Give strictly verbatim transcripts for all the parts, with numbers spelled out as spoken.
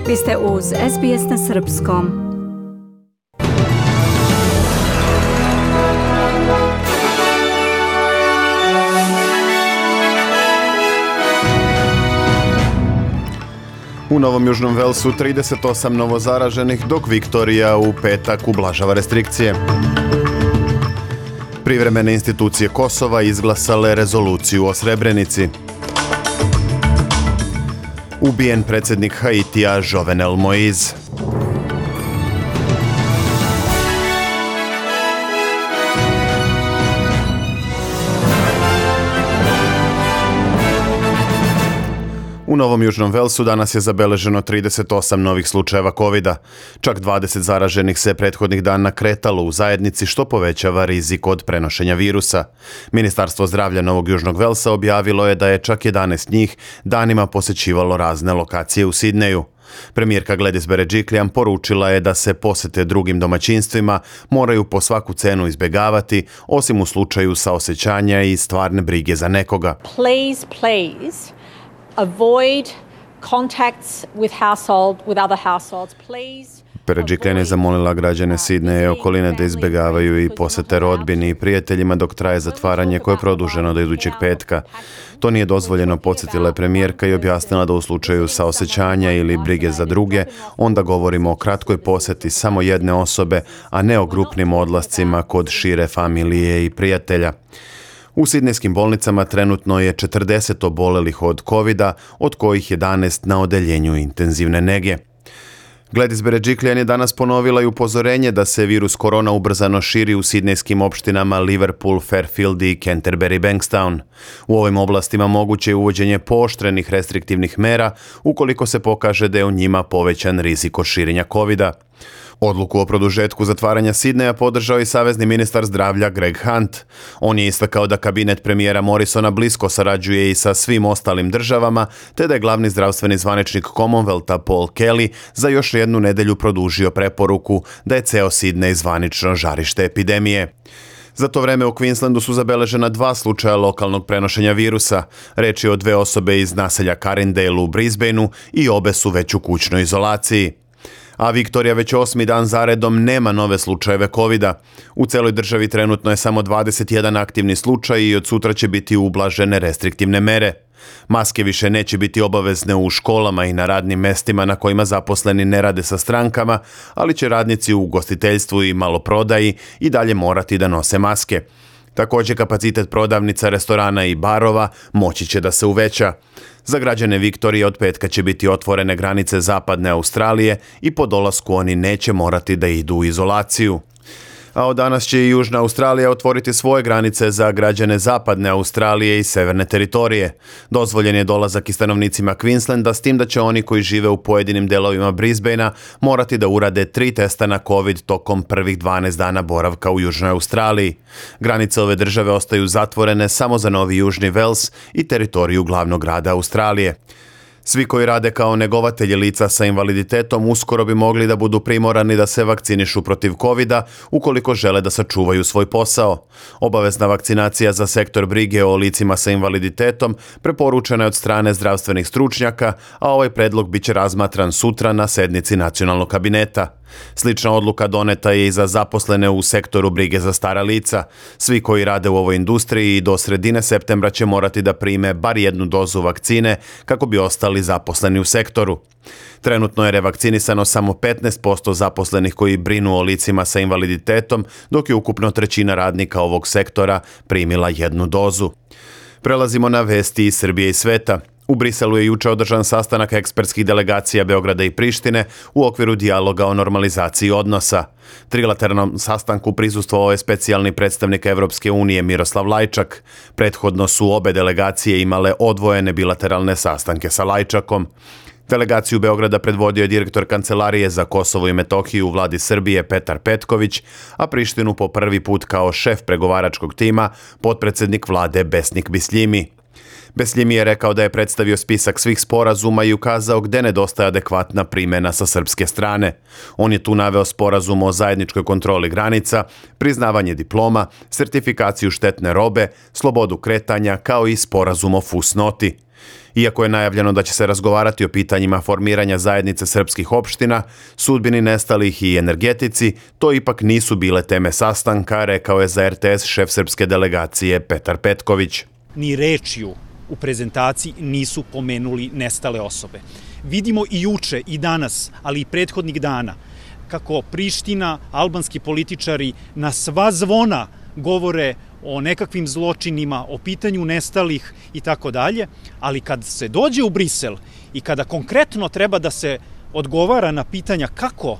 Vi ste uz S B S na srpskom. U Novom Južnom Velsu trideset osam novozaraženih, dok Viktorija u petak ublažava restrikcije. Privremene institucije Kosova izglasale rezoluciju o Srebrenici. Ubijen predsjednik Haitija Jovenel Moïse. U Novom Južnom Velsu danas je zabeleženo trideset osam novih slučajeva kovida. Čak dvadeset zaraženih se prethodnih dana kretalo u zajednici, što povećava rizik od prenošenja virusa. Ministarstvo zdravlja Novog Južnog Velsa objavilo je da je čak jedanaest njih danima posjećivalo razne lokacije u Sidneju. Premijerka Gladys Berejiklian poručila je da se posjete drugim domaćinstvima moraju po svaku cenu izbjegavati, osim u slučaju saosećanja i stvarne brige za nekoga. Please, please. Avoid contacts with household with other households, please. Berejiklian je zamolila građane Sidneja i okoline da izbjegavaju i posjete rodbini i prijateljima dok traje zatvaranje koje je produženo do idućeg petka. To nije dozvoljeno, podsjetila je premijerka i objasnila da u slučaju saosećanja ili brige za druge, onda govorimo o kratkoj posjeti samo jedne osobe, a ne o grupnim odlascima kod šire familije i prijatelja. U sidnejskim bolnicama trenutno je četrdeset obolelih od kovida, od kojih jedanaest na odeljenju intenzivne nege. Gladys Berejiklian je danas ponovila i upozorenje da se virus korona ubrzano širi u sidnejskim opštinama Liverpool, Fairfield i Canterbury Bankstown. U ovim oblastima moguće je uvođenje pooštrenih restriktivnih mera ukoliko se pokaže da je u njima povećan rizik od širenja kovida. Odluku o produžetku zatvaranja Sidneja podržao i savezni ministar zdravlja Greg Hunt. On je istakao da kabinet premijera Morrisona blisko sarađuje i sa svim ostalim državama, te da je glavni zdravstveni zvaničnik Commonwealtha Paul Kelly za još jednu nedelju produžio preporuku da je ceo Sidnej zvanično žarište epidemije. Za to vreme u Queenslandu su zabeležena dva slučaja lokalnog prenošenja virusa. Reč je o dve osobe iz naselja Carindale u Brisbaneu i obe su već u kućnoj izolaciji. A Viktorija već osmi dan zaredom nema nove slučajeve kovida. U celoj državi trenutno je samo dvadeset jedan aktivni slučaj i od sutra će biti ublažene restriktivne mere. Maske više neće biti obavezne u školama i na radnim mestima na kojima zaposleni ne rade sa strankama, ali će radnici u ugostiteljstvu i maloprodaji i dalje morati da nose maske. Također kapacitet prodavnica, restorana i barova moći će da se uveća. Za građane Viktorije od petka će biti otvorene granice zapadne Australije i po dolasku oni neće morati da idu u izolaciju. A od danas će i Južna Australija otvoriti svoje granice za građane zapadne Australije i severne teritorije. Dozvoljen je dolazak i stanovnicima Queenslanda, s tim da će oni koji žive u pojedinim delovima Brisbanea morati da urade tri testa na COVID tokom prvih dvanaest dana boravka u Južnoj Australiji. Granice ove države ostaju zatvorene samo za Novi Južni Vels i teritoriju glavnog grada Australije. Svi koji rade kao negovatelji lica sa invaliditetom uskoro bi mogli da budu primorani da se vakcinišu protiv kovida ukoliko žele da sačuvaju svoj posao. Obavezna vakcinacija za sektor brige o licima sa invaliditetom preporučena je od strane zdravstvenih stručnjaka, a ovaj predlog biće razmatran sutra na sednici nacionalnog kabineta. Slična odluka doneta je i za zaposlene u sektoru brige za stara lica. Svi koji rade u ovoj industriji do sredine septembra će morati da prime bar jednu dozu vakcine kako bi ostali zaposleni u sektoru. Trenutno je revakcinisano samo petnaest posto zaposlenih koji brinu o licima sa invaliditetom, dok je ukupno trećina radnika ovog sektora primila jednu dozu. Prelazimo na vesti iz Srbije i sveta. U Briselu je juče održan sastanak ekspertskih delegacija Beograda i Prištine u okviru dijaloga o normalizaciji odnosa. Trilateralnom sastanku prisustvovao je specijalni predstavnik Evropske unije Miroslav Lajčak. Prethodno su obe delegacije imale odvojene bilateralne sastanke sa Lajčakom. Delegaciju Beograda predvodio je direktor Kancelarije za Kosovo i Metohiju u vladi Srbije Petar Petković, a Prištinu po prvi put kao šef pregovaračkog tima potpredsednik vlade Besnik Bisljimi. Besljimi je rekao da je predstavio spisak svih sporazuma i ukazao gde nedostaje adekvatna primjena sa srpske strane. On je tu naveo sporazum o zajedničkoj kontroli granica, priznavanje diploma, sertifikaciju štetne robe, slobodu kretanja kao i sporazum o fusnoti. Iako je najavljeno da će se razgovarati o pitanjima formiranja zajednice srpskih opština, sudbini nestalih i energetici, to ipak nisu bile teme sastanka, rekao je za er te es šef srpske delegacije Petar Petković. Ni rečju u prezentaciji nisu pomenuli nestale osobe. Vidimo i juče i danas, ali i prethodnih dana, kako Priština, albanski političari na sva zvona govore o nekakvim zločinima, o pitanju nestalih i tako dalje, ali kad se dođe u Brisel i kada konkretno treba da se odgovara na pitanja kako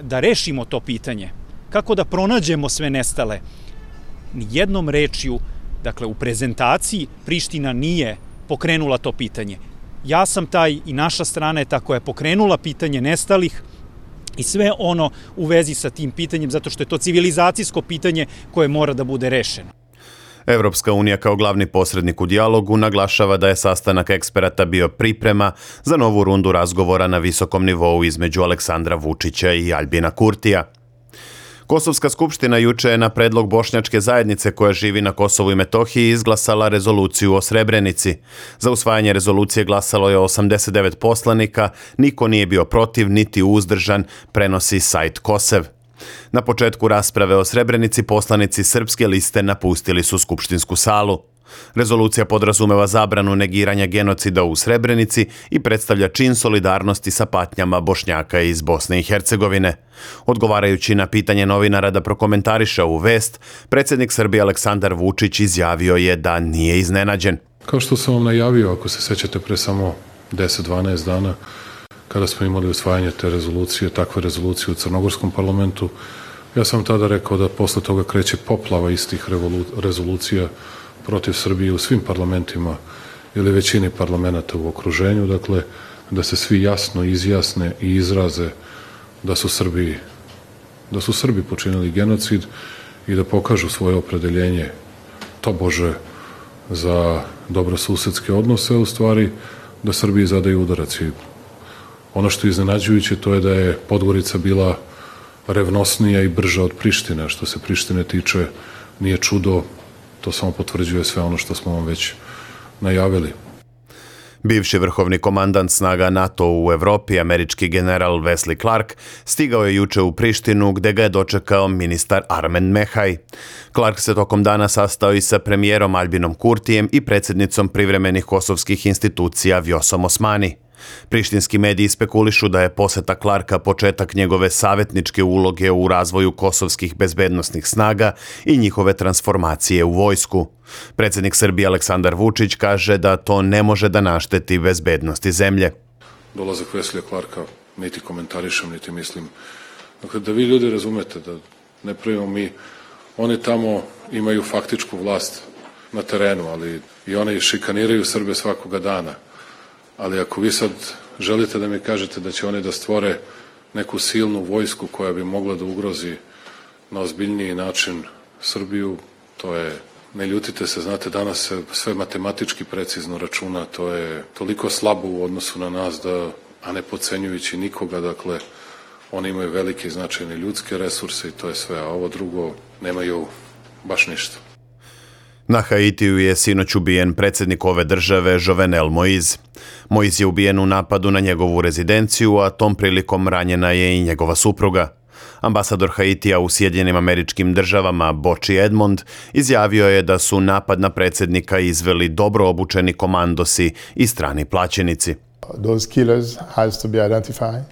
da rešimo to pitanje, kako da pronađemo sve nestale, ni jednom rečju, dakle u prezentaciji, Priština nije pokrenula to pitanje. Ja sam taj i naša strana je ta koja je pokrenula pitanje nestalih i sve ono u vezi sa tim pitanjem, zato što je to civilizacijsko pitanje koje mora da bude rešeno. Evropska unija kao glavni posrednik u dijalogu naglašava da je sastanak eksperata bio priprema za novu rundu razgovora na visokom nivou između Aleksandra Vučića i Aljbina Kurtija. Kosovska skupština juče je na predlog bošnjačke zajednice koja živi na Kosovu i Metohiji izglasala rezoluciju o Srebrenici. Za usvajanje rezolucije glasalo je osamdeset devet poslanika, niko nije bio protiv niti uzdržan, prenosi sajt Kosev. Na početku rasprave o Srebrenici poslanici Srpske liste napustili su skupštinsku salu. Rezolucija podrazumeva zabranu negiranja genocida u Srebrenici i predstavlja čin solidarnosti sa patnjama Bošnjaka iz Bosne i Hercegovine. Odgovarajući na pitanje novinara da prokomentariše ovu vest, predsjednik Srbije Aleksandar Vučić izjavio je da nije iznenađen. Kao što sam vam najavio, ako se sećate, pre samo deset do dvanaest dana, kada smo imali usvajanje te rezolucije, takve rezolucije u Crnogorskom parlamentu, ja sam tada rekao da posle toga kreće poplava istih rezolucija protiv Srbije u svim parlamentima ili većini parlamenta u okruženju, dakle, da se svi jasno izjasne i izraze da su Srbi, da su Srbi počinili genocid i da pokažu svoje opredeljenje tobože za dobrosusedske odnose, u stvari da Srbiji zadaju udarac. I ono što je iznenađujuće to je da je Podgorica bila revnosnija i brža od Prištine. Što se Prištine tiče, nije čudo, to samo potvrđuje sve ono što smo vam već najavili. Bivši vrhovni komandant snaga NATO u Evropi, američki general Wesley Clark, stigao je juče u Prištinu gde ga je dočekao ministar Armen Mehaj. Clark se tokom dana sastao i sa premijerom Aljbinom Kurtijem i predsjednicom privremenih kosovskih institucija Vjosom Osmani. Prištinski mediji spekulišu da je poseta Clarka početak njegove savjetničke uloge u razvoju kosovskih bezbednosnih snaga i njihove transformacije u vojsku. Predsjednik Srbije Aleksandar Vučić kaže da to ne može da našteti bezbednosti zemlje. Dolazak Weslija Clarka niti komentarišem, niti mislim. Dakle, da vi ljudi razumete da ne pravimo mi, oni tamo imaju faktičku vlast na terenu, ali i oni šikaniraju Srbe svakoga dana. Ali ako vi sad želite da mi kažete da će oni da stvore neku silnu vojsku koja bi mogla da ugrozi na ozbiljniji način Srbiju, to je, ne ljutite se, znate, danas se sve matematički precizno računa, to je toliko slabo u odnosu na nas da, a ne podcenjujući nikoga, dakle, oni imaju velike i značajne ljudske resurse i to je sve, a ovo drugo nemaju baš ništa. Na Haitiju je sinoć ubijen predsjednik ove države Jovenel Moïse. Moïse je ubijen u napadu na njegovu rezidenciju, a tom prilikom ranjena je i njegova supruga. Ambasador Haitija u Sjedinjenim Američkim Državama Boči Edmond izjavio je da su napad na predsjednika izveli dobro obučeni komandosi i strani plaćenici. Those killers has to be identified.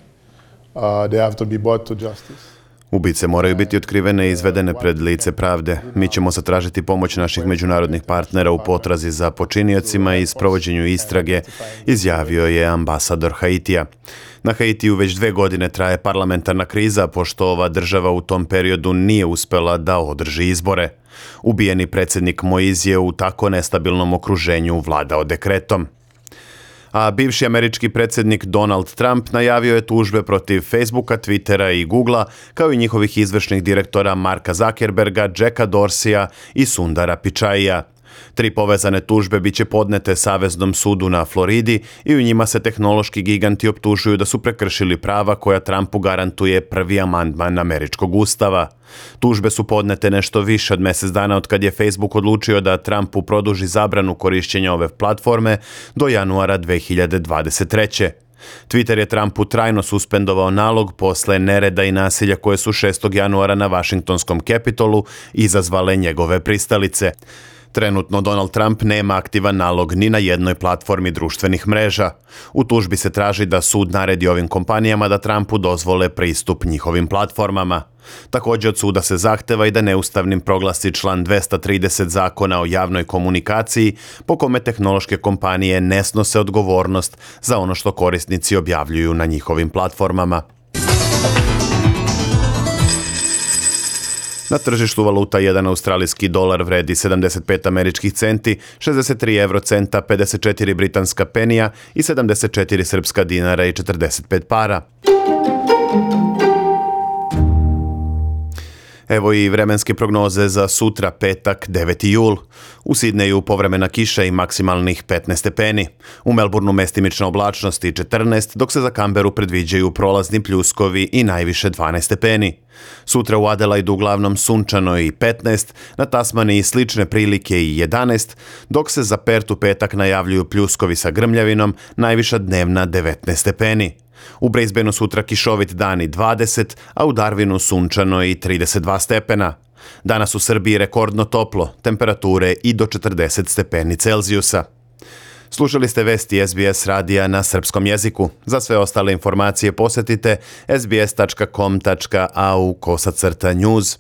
Uh, they have to be brought to justice. Ubice moraju biti otkrivene i izvedene pred lice pravde. Mi ćemo zatražiti pomoć naših međunarodnih partnera u potrazi za počiniocima i sprovođenju istrage, izjavio je ambasador Haitija. Na Haitiju već dve godine traje parlamentarna kriza, pošto ova država u tom periodu nije uspela da održi izbore. Ubijeni predsjednik Moïse je u tako nestabilnom okruženju vladao dekretom. A bivši američki predsjednik Donald Trump najavio je tužbe protiv Facebooka, Twittera i Googlea, kao i njihovih izvršnih direktora Marka Zuckerberga, Jacka Dorseya i Sundara Pichaija. Tri povezane tužbe biće podnete Saveznom sudu na Floridi i u njima se tehnološki giganti optužuju da su prekršili prava koja Trumpu garantuje prvi amandman američkog ustava. Tužbe su podnete nešto više od mjesec dana od kad je Facebook odlučio da Trumpu produži zabranu korišćenja ove platforme do januara dve hiljade dvadeset treće. Twitter je Trumpu trajno suspendovao nalog posle nereda i nasilja koje su šestog januara na Vašingtonskom Capitolu izazvale njegove pristalice. Trenutno Donald Trump nema aktivan nalog ni na jednoj platformi društvenih mreža. U tužbi se traži da sud naredi ovim kompanijama da Trumpu dozvole pristup njihovim platformama. Također od suda se zahteva i da neustavnim proglasi član dvesta trideset Zakona o javnoj komunikaciji, po kome tehnološke kompanije ne snose odgovornost za ono što korisnici objavljuju na njihovim platformama. Na tržištu valuta jedan australijski dolar vredi sedamdeset pet američkih centi, šezdeset tri eurocenta, pedeset četiri britanska penija i sedamdeset četiri srpska dinara i četrdeset pet para. Evo i vremenske prognoze za sutra, petak, deveti jul. U Sidneju povremena kiša i maksimalnih petnaest stepeni. U Melbourneu mestimična oblačnost i četrnaest, dok se za Canberu predviđaju prolazni pljuskovi i najviše dvanaest stepeni. Sutra u Adelaidu uglavnom sunčano i petnaest, na Tasmaniji slične prilike i jedanaest, dok se za Perth u petak najavljuju pljuskovi sa grmljavinom, najviša dnevna devetnaest stepeni. U Brisbaneu sutra kišovit dan i dvadeset, a u Darwinu sunčano i trideset dva stepena. Danas u Srbiji rekordno toplo, temperature i do četrdeset stepeni Celzijusa. Slušali ste vesti S B S radija na srpskom jeziku. Za sve ostale informacije posjetite sbs tačka com tačka a u kosacrta news.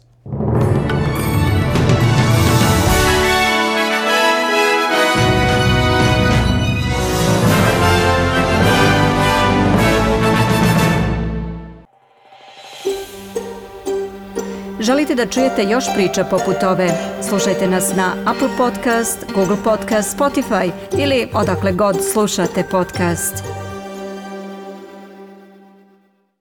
Želite da čujete još priča poput ove? Slušajte nas na Apple Podcast, Google Podcast, Spotify ili odakle god slušate podcast.